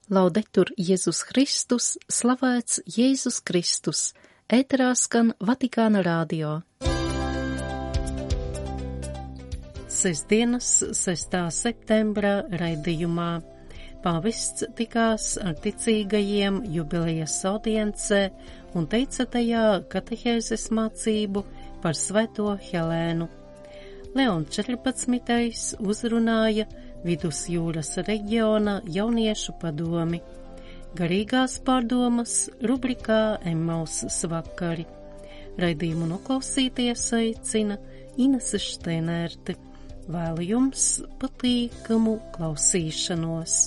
Laudetur Jēzus Kristus, slavēts Jēzus Kristus, ēterā skan Vatikāna radio. Sestdienas 6. septembra raidījumā pāvests tikās ar ticīgajiem jubilejas audiencē un teica tajā katehēzes mācību par Svēto Helēnu. Leons 14. uzrunāja Vidusjūras reģiona jauniešu padomi. Garīgās pārdomas rubrikā Emmausas vakari. Raidījumu noklausīties aicina Inese Šteinerte. Vēlu jums patīkamu klausīšanos.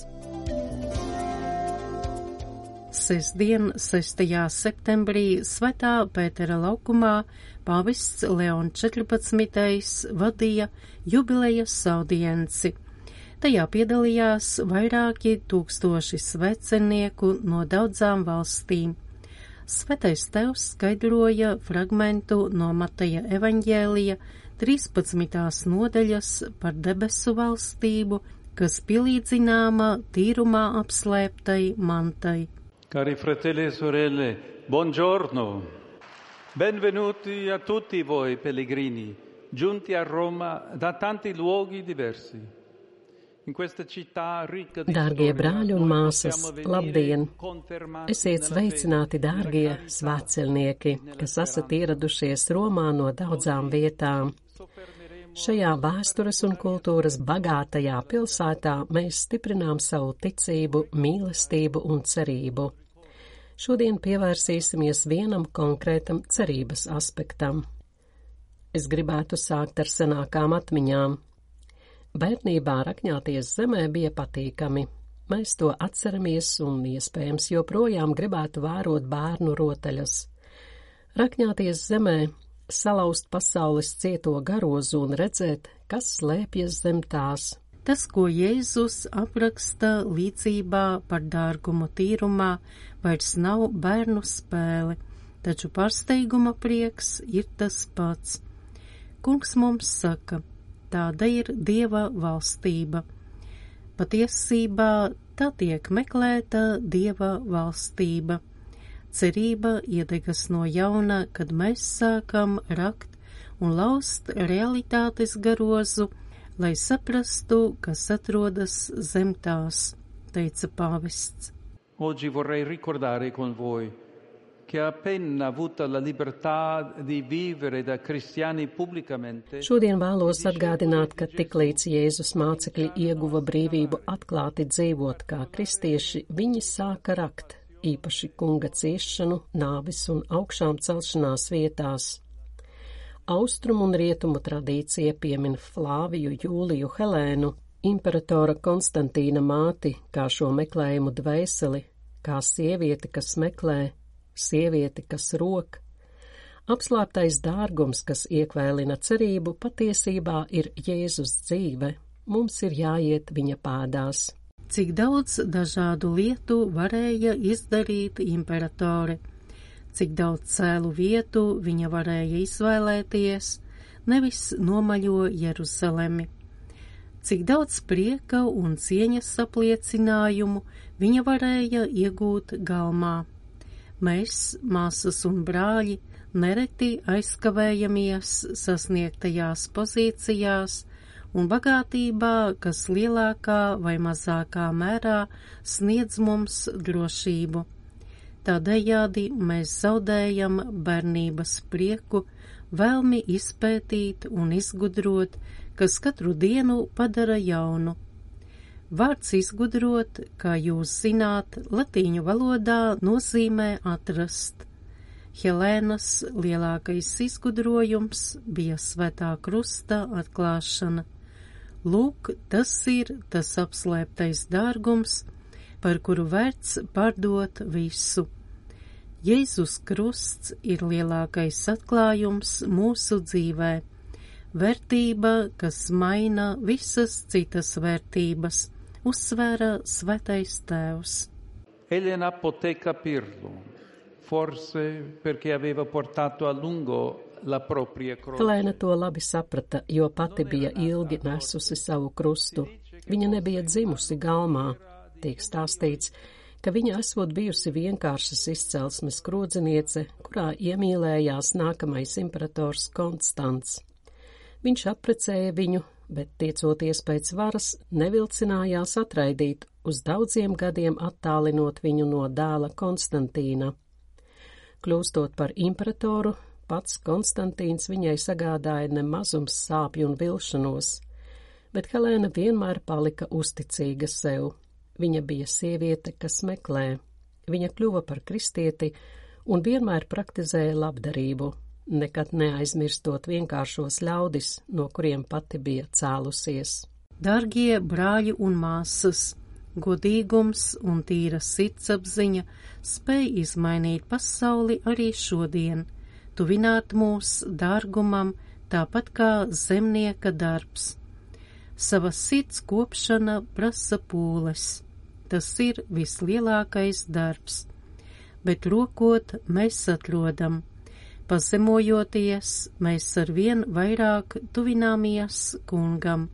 Sestdien, 6. septembrī, Svētā Pētera laukumā pāvests Leons 14. vadīja jubilejas audienci. Tajā piedalījās vairāki tūkstoši svecenieku no daudzām valstīm. Svētais Tēvs skaidroja fragmentu no Mateja evaņģēlija 13. nodaļas par debesu valstību, kas pielīdzināma tīrumā apslēptai mantai. Cari fratelli e sorelle, buongiorno. Benvenuti a tutti voi pellegrini, giunti a Roma da tanti luoghi diversi. Dārgie brāļi un māsas, labdien! Esiet sveicināti, dārgie svētceļnieki, kas esat ieradušies Romā no daudzām vietām. Šajā vēstures un kultūras bagātajā pilsētā mēs stiprinām savu ticību, mīlestību un cerību. Šodien pievērsīsimies vienam konkrētam cerības aspektam. Es gribētu sākt ar senākām atmiņām. Bērnībā rakņāties zemē bija patīkami. Mēs to atceramies un iespējams joprojām gribētu vērot bērnu rotaļas. Rakņāties zemē, salauzt pasaules cieto garozu un redzēt, kas slēpjas zem tās. Tas, ko Jēzus apraksta līdzībā par dārgumu tīrumā, vairs nav bērnu spēle, taču pārsteiguma prieks ir tas pats. Kungs mums saka, tāda ir Dieva valstība. Patiesībā tā tiek meklēta Dieva valstība. Cerība iedegas no jauna, kad mēs sākam rakt un laust realitātes garozu, lai saprastu, kas atrodas zem tās, teica pāvests. Oggi vorrei ricordare con voi che appena avuta la libertà di vivere da cristiani pubblicamente. Šodien vēlos atgādināt, ka tiklīdz Jēzus mācekļi ieguva brīvību atklāti dzīvot kā kristieši, viņi sāka rakt, īpaši kunga ciešanu, nāvis un augšām celšanās vietās. Austrumu un rietumu tradīcija piemin Flāviju Jūliju Helēnu, imperatora Konstantīna māti, kā šo meklējumu dvēseli, kā sievieti, kas meklē, sievieti, kas rok. Apslēptais dārgums, kas iekvēlina cerību, patiesībā ir Jēzus dzīve. Mums ir jāiet viņa pēdās. Cik daudz dažādu lietu varēja izdarīt imperatore, cik daudz cēlu vietu viņa varēja izvēlēties, nevis nomaļo Jeruzalemi. Cik daudz prieka un cieņas apliecinājumu viņa varēja iegūt galmā. Mēs, māsas un brāļi, nereti aizkavējamies sasniegtajās pozīcijās un bagātībā, kas lielākā vai mazākā mērā sniedz mums drošību. Tādējādi mēs zaudējam bērnības prieku, vēlmi izpētīt un izgudrot, kas katru dienu padara jaunu. Vārds izgudrot, kā jūs zināt, latīņu valodā nozīmē atrast. Helēnas lielākais izgudrojums bija Svētā Krusta atklāšana. Lūk, tas ir tas apslēptais dārgums, par kuru vērts pārdot visu. Jēzus Krusts ir lielākais atklājums mūsu dzīvē, vērtība, kas maina visas citas vērtības, uzsvēra Svētais Tēvs. Elena poté capirlo, forse perché aveva portato a lungo la propria croce. Helēna to labi saprata, jo pati bija ilgi nesusi savu krustu. Viņa nebija dzimusi galmā. Tiek stāstīts, ka viņa esot bijusi vienkāršas izcelsmes krodzeniece, kurā iemīlējās nākamais imperators Konstants. Viņš apprecēja viņu, bet tiecoties pēc varas, nevilcinājās atraidīt, uz daudziem gadiem attālinot viņu no dēla Konstantīna. Kļūstot par imperatoru, pats Konstantīns viņai sagādāja nemazums sāpju un vilšanos, bet Helēna vienmēr palika uzticīga sev. Viņa bija sieviete, kas meklē. Viņa kļuva par kristieti un vienmēr praktizēja labdarību, nekad neaizmirstot vienkāršos ļaudis, no kuriem pati bija cēlusies. Dargie brāļi un māsas, godīgums un tīra sirdsapziņa spēj izmainīt pasauli arī šodien, tuvināt mūs dārgumam, tāpat kā zemnieka darbs. Savas sirds kopšana prasa pūles. Tas ir vislielākais darbs, bet rokot mēs atrodam. Pazemojoties, mēs arvien vairāk tuvināmies kungam,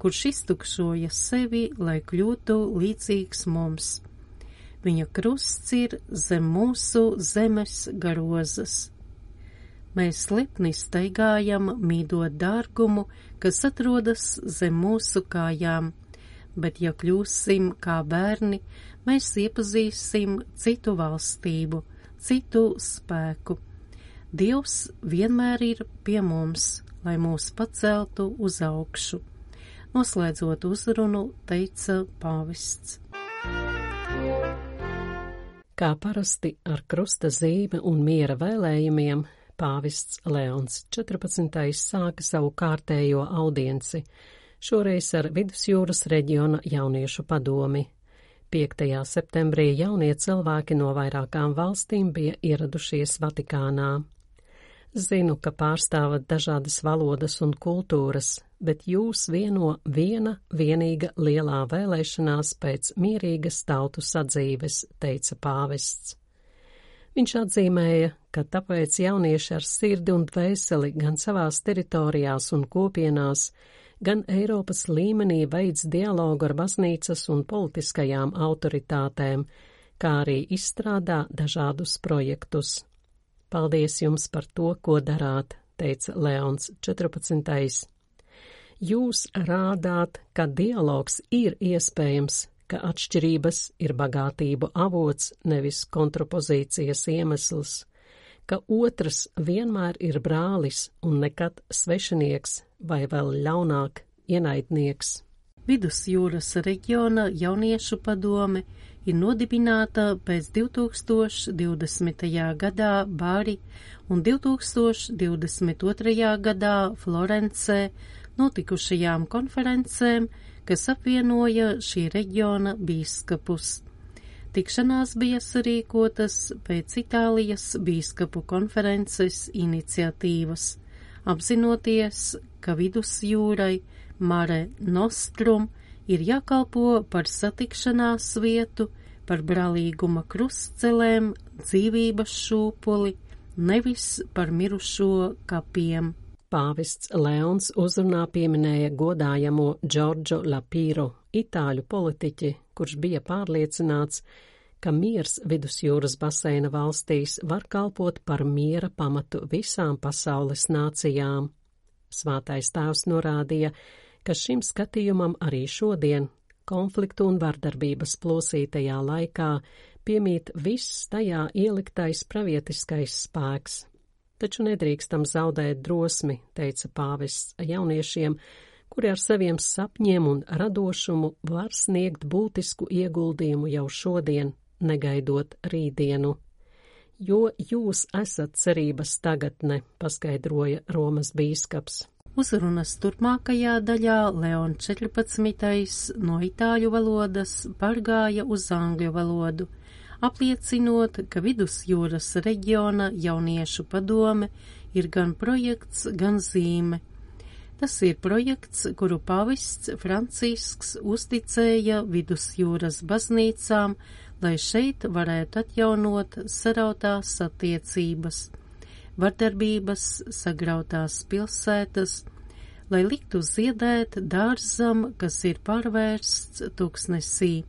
kurš iztukšoja sevi, lai kļūtu līdzīgs mums. Viņa krusts ir zem mūsu zemes garozas. Mēs lepni staigājam, mīdot dārgumu, kas atrodas zem mūsu kājām, bet ja kļūsim kā bērni, mēs iepazīsim citu valstību, citu spēku. Dievs vienmēr ir pie mums, lai mūs paceltu uz augšu. Noslēdzot uzrunu, teica pāvests. Kā parasti ar krusta zīme un miera vēlējumiem, pāvests Leons 14. sāka savu kārtējo audienci, šoreiz ar Vidusjūras reģiona jauniešu padomi. 5. septembrī jaunie cilvēki no vairākām valstīm bija ieradušies Vatikānā. Zinu, ka pārstāvat dažādas valodas un kultūras, bet jūs vieno viena vienīga lielā vēlēšanās pēc mierīgas tautu sadzīves, teica pāvests. Viņš atzīmēja, ka tāpēc jaunieši ar sirdi un dvēseli gan savās teritorijās un kopienās, gan Eiropas līmenī veids dialogu ar baznīcas un politiskajām autoritātēm, kā arī izstrādā dažādus projektus. Paldies jums par to, ko darāt, teica Leons 14. Jūs rādāt, ka dialogs ir iespējams, ka atšķirības ir bagātību avots, nevis kontrapozīcijas iemesls, ka otrs vienmēr ir brālis un nekad svešinieks vai vēl ļaunāk ienaidnieks. Vidusjūras reģiona jauniešu padome ir nodibināta pēc 2020. gadā Bari un 2022. gadā Florencē notikušajām konferencēm, kas apvienoja šī reģiona bīskapus. Tikšanās bija sarīkotas pēc Itālijas bīskapu konferences iniciatīvas, apzinoties, ka Vidusjūrai Mare Nostrum ir jākalpo par satikšanās vietu, par brālīguma krustcelēm, dzīvības šūpuli, nevis par mirušo kapiem. Pāvests Leons uzrunā pieminēja godājamo Džordžo Lapīro, itāļu politiķi, kurš bija pārliecināts, ka miers Vidusjūras baseina valstīs var kalpot par miera pamatu visām pasaules nācijām. Svētais tēvs norādīja, ka šim skatījumam arī šodien, konfliktu un vardarbības plosītajā laikā, piemīt viss tajā ieliktais pravietiskais spēks. Taču nedrīkstam zaudēt drosmi, teica pāvests jauniešiem, kuri ar saviem sapņiem un radošumu var sniegt būtisku ieguldījumu jau šodien, negaidot rītdienu. Jo jūs esat cerības tagadne, paskaidroja Romas bīskaps. Uzrunas turpmākajā daļā Leon 14. no itāļu valodas pārgāja uz angļu valodu, apliecinot, ka Vidusjūras reģiona jauniešu padome ir gan projekts, gan zīme. Tas ir projekts, kuru pāvests Francisks uzticēja Vidusjūras baznīcām, lai šeit varētu atjaunot sarautās attiecības, vardarbības sagrautās pilsētas, lai liktu ziedēt dārzam, kas ir pārvērsts tūkstnesī,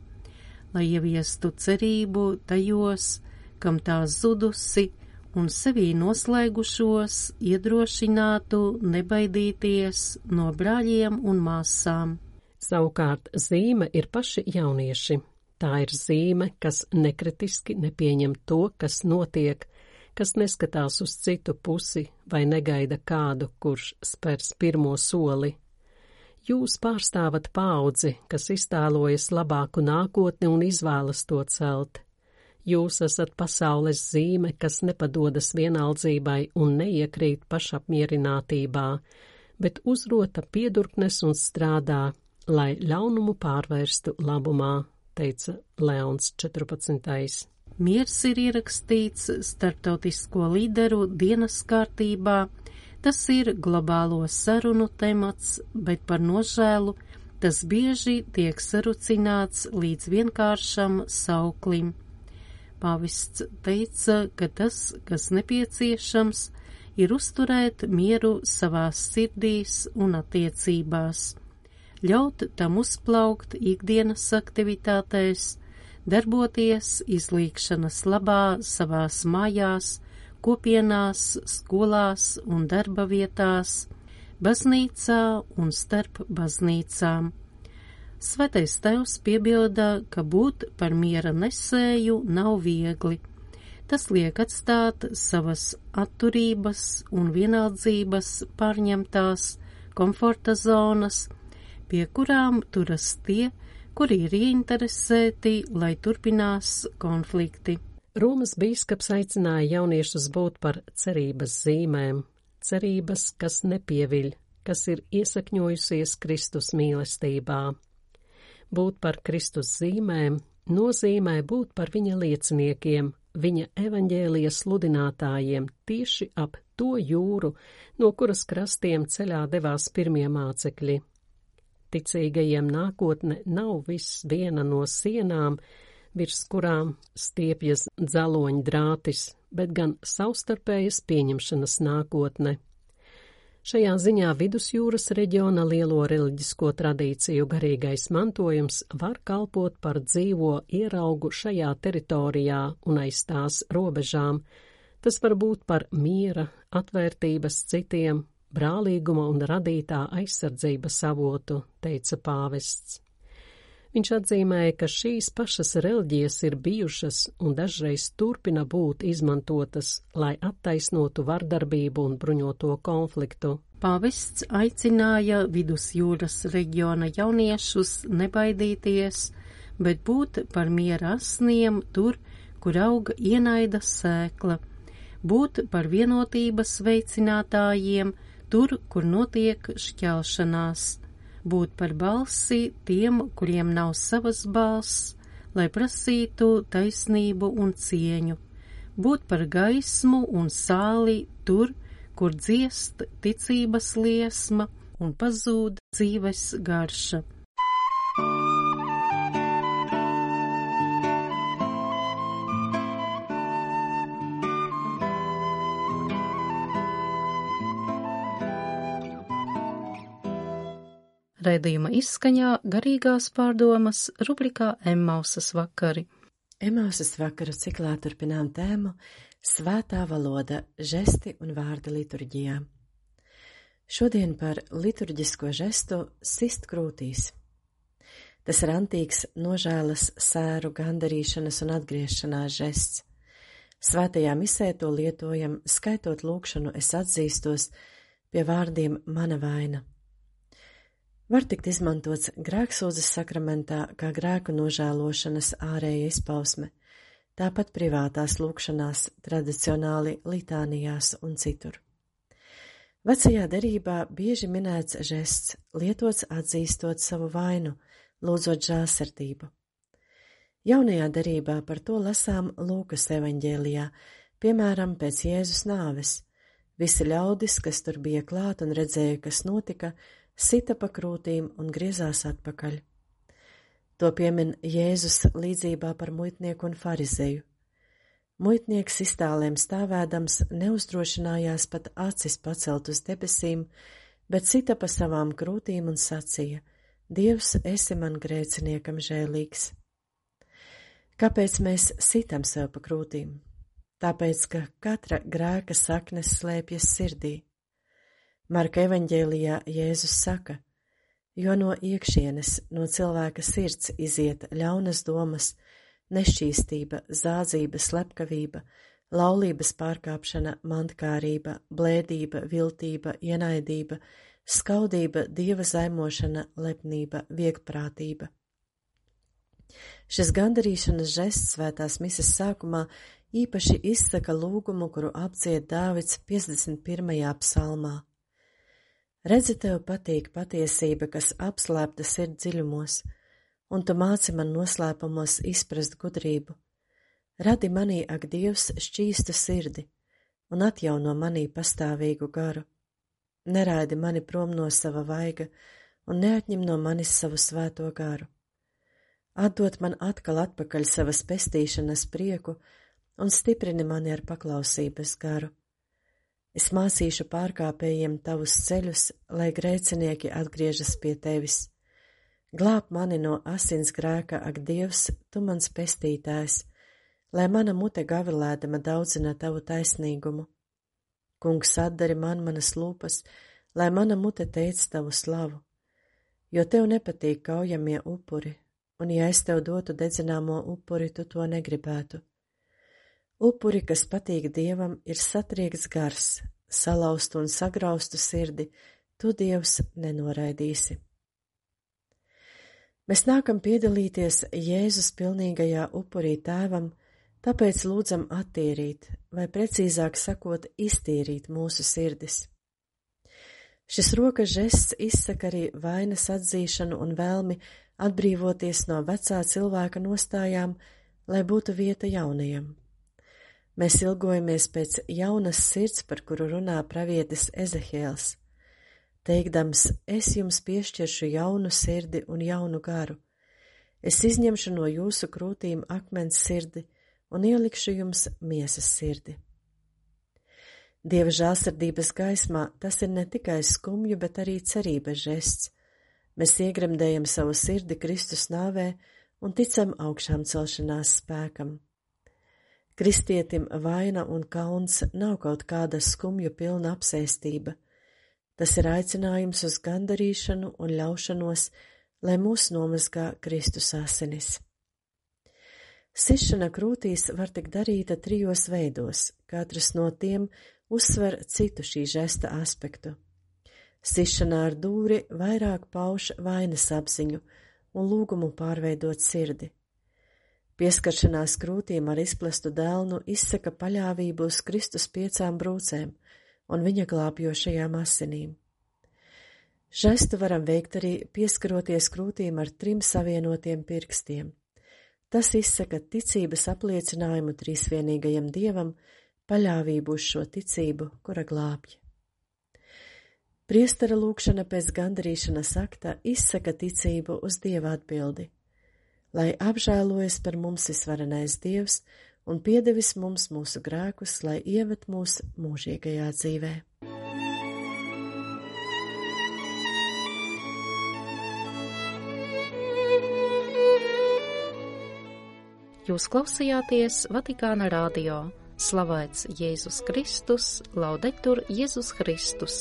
lai ieviestu cerību tajos, kam tā zudusi, un sevī noslēgušos iedrošinātu nebaidīties no brāļiem un māsām. Savukārt zīme ir paši jaunieši. Tā ir zīme, kas nekritiski nepieņem to, kas notiek, kas neskatās uz citu pusi vai negaida kādu, kurš spers pirmo soli. Jūs pārstāvat paudzi, kas iztēlojas labāku nākotni un izvēlas to celt. Jūs esat pasaules zīme, kas nepadodas vienaldzībai un neiekrīt pašapmierinātībā, bet uzrota piedurknes un strādā, lai ļaunumu pārvērstu labumā, teica Leons 14. Miers ir ierakstīts starptautisko līderu dienas kārtībā, tas ir globālo sarunu temats, bet par nožēlu tas bieži tiek sarucināts līdz vienkāršam sauklim. Pāvests teica, ka tas, kas nepieciešams, ir uzturēt mieru savās sirdīs un attiecībās, ļaut tam uzplaukt ikdienas aktivitātēs, darboties izlīgšanas labā savās mājās, kopienās, skolās un darba vietās, baznīcā un starp baznīcām. Svētais Tēvs piebilda, ka būt par miera nesēju nav viegli. Tas liek atstāt savas atturības un vienaldzības pārņemtās komforta zonas, pie kurām turas tie, kuri ir ieinteresēti, lai turpinās konflikti. Romas bīskaps aicināja jauniešus būt par cerības zīmēm, cerības, kas nepieviļ, kas ir iesakņojusies Kristus mīlestībā. Būt par Kristus zīmēm nozīmē būt par viņa lieciniekiem, viņa evaņģēlija sludinātājiem tieši ap to jūru, no kuras krastiem ceļā devās pirmie mācekļi. Ticīgajiem nākotne nav viss viena no sienām, virs kurām stiepjas dzeloņa drātis, bet gan savstarpējas pieņemšanas nākotne. Šajā ziņā Vidusjūras reģiona lielo reliģisko tradīciju garīgais mantojums var kalpot par dzīvo ieraugu šajā teritorijā un aiz tās robežām. Tas var būt par miera, atvērtības citiem, brālīguma un radītā aizsardzības avotu, teica pāvests. Viņš atzīmēja, ka šīs pašas reliģijas ir bijušas un dažreiz turpina būt izmantotas, lai attaisnotu vardarbību un bruņoto konfliktu. Pāvests aicināja Vidusjūras reģiona jauniešus nebaidīties, bet būt par miera asniem tur, kur auga ienaida sēkla, būt par vienotības veicinātājiem tur, kur notiek šķelšanās, būt par balsi tiem, kuriem nav savas balss, lai prasītu taisnību un cieņu, būt par gaismu un sāli tur, kur dziest ticības liesma un pazūd dzīves garša. Raidījuma izskaņā garīgās pārdomas rubrikā Emmausas vakari. Emmausas vakaru ciklā turpinām tēmu Svētā valoda, žesti un vārdi liturģijā. Šodien par liturģisko žestu sist krūtīs. Tas ir antīks nožēlas, sēru, gandarīšanas un atgriešanās žests. Svētajā misē to lietojam, skaitot lūgšanu es atzīstos pie vārdiem mana vaina. Var tikt izmantots grēksūdzes sakramentā kā grēku nožēlošanas ārēja izpausme, tāpat privātās lūgšanās, tradicionāli litānijās un citur. Vecajā derībā bieži minēts žests, lietots atzīstot savu vainu, lūdzot žēlsirdību. Jaunajā derībā par to lasām Lūkas evaņģēlijā, piemēram, pēc Jēzus nāves. Visi ļaudis, kas tur bija klāt un redzēja, kas notika, sita pa krūtīm un griezās atpakaļ. To piemin Jēzus līdzībā par muitnieku un farizeju. Muitnieks iztālēm stāvēdams neuzdrošinājās pat acis pacelt uz debesīm, bet sita pa savām krūtīm un sacīja: Dievs, esi man grēciniekam žēlīgs. Kāpēc mēs sitam sev pa krūtīm? Tāpēc, ka katra grēka saknes slēpjas sirdī. Marka evaņģēlijā Jēzus saka, jo no iekšienes, no cilvēka sirds iziet ļaunas domas, nešķīstība, zādzība, slepkavība, laulības pārkāpšana, mantkārība, blēdība, viltība, ienaidība, skaudība, dieva zaimošana, lepnība, viegprātība. Šis gandarīšanas žests svētās mises sākumā īpaši izsaka lūgumu, kuru apdzied Dāvids 51. psalmā. Redzi, tev patīk patiesība, kas apslēpta sirds dziļumos, un tu māci man noslēpumos izprast gudrību. Radi manī, ak Dievs, šķīstu sirdi, un atjauno manī pastāvīgu garu. Neraidi mani prom no sava vaiga, un neatņem no manis savu svēto garu. Atdod man atkal atpakaļ savas pestīšanas prieku, un stiprini mani ar paklausības garu. Es mācīšu pārkāpējiem tavus ceļus, lai grēcinieki atgriežas pie tevis. Glāb mani no asins grēka, ak Dievs, tu mans pestītājs, lai mana mute gavilēdama daudzina tavu taisnīgumu. Kungs, atdari man manas lūpas, lai mana mute teic tavu slavu, jo tev nepatīk kaujamie upuri, un ja es tev dotu dedzināmo upuri, tu to negribētu. Upuri, kas patīk Dievam, ir satriekts gars, salauztu un sagraustu sirdi, tu, Dievs, nenoraidīsi. Mēs nākam piedalīties Jēzus pilnīgajā upurī tēvam, tāpēc lūdzam attīrīt, vai precīzāk sakot, iztīrīt mūsu sirdis. Šis rokas žests izsaka arī vainas atzīšanu un vēlmi atbrīvoties no vecā cilvēka nostājām, lai būtu vieta jaunajam. Mēs ilgojamies pēc jaunas sirds, par kuru runā pravietis Ezehiels, teikdams, es jums piešķiršu jaunu sirdi un jaunu garu. Es izņemšu no jūsu krūtīm akmens sirdi un ielikšu jums miesas sirdi. Dieva žēlsirdības gaismā tas ir ne tikai skumju, bet arī cerības žests. Mēs iegremdējam savu sirdi Kristus nāvē un ticam augšām celšanās spēkam. Kristietim vaina un kauns nav kaut kāda skumju pilna apsēstība. Tas ir aicinājums uz gandarīšanu un ļaušanos, lai mūs nomazgā Kristus asinis. Sišana krūtīs var tik darīta 3 veidos, katrs no tiem uzsver citu šī žesta aspektu. Sišana ar dūri vairāk pauž vainas apziņu un lūgumu pārveidot sirdi. Pieskaršanās krūtīm ar izplastu dēlnu izsaka paļāvību uz Kristus 5 brūcēm un viņa glābjošajām asinīm. Žestu varam veikt arī pieskaroties krūtīm ar 3 savienotiem pirkstiem. Tas izsaka ticības apliecinājumu trīsvienīgajam Dievam, paļāvību uz šo ticību, kura glābj. Priestera lūkšana pēc gandarīšanas akta izsaka ticību uz Dieva atbildi, lai apžēlojas par mums visvarenais Dievs un piedevis mums mūsu grēkus, lai ieved mūs mūžīgajā dzīvē. Jūs klausījāties Vatikāna radio. Slavēts Jēzus Kristus, laudetur Jēzus Kristus.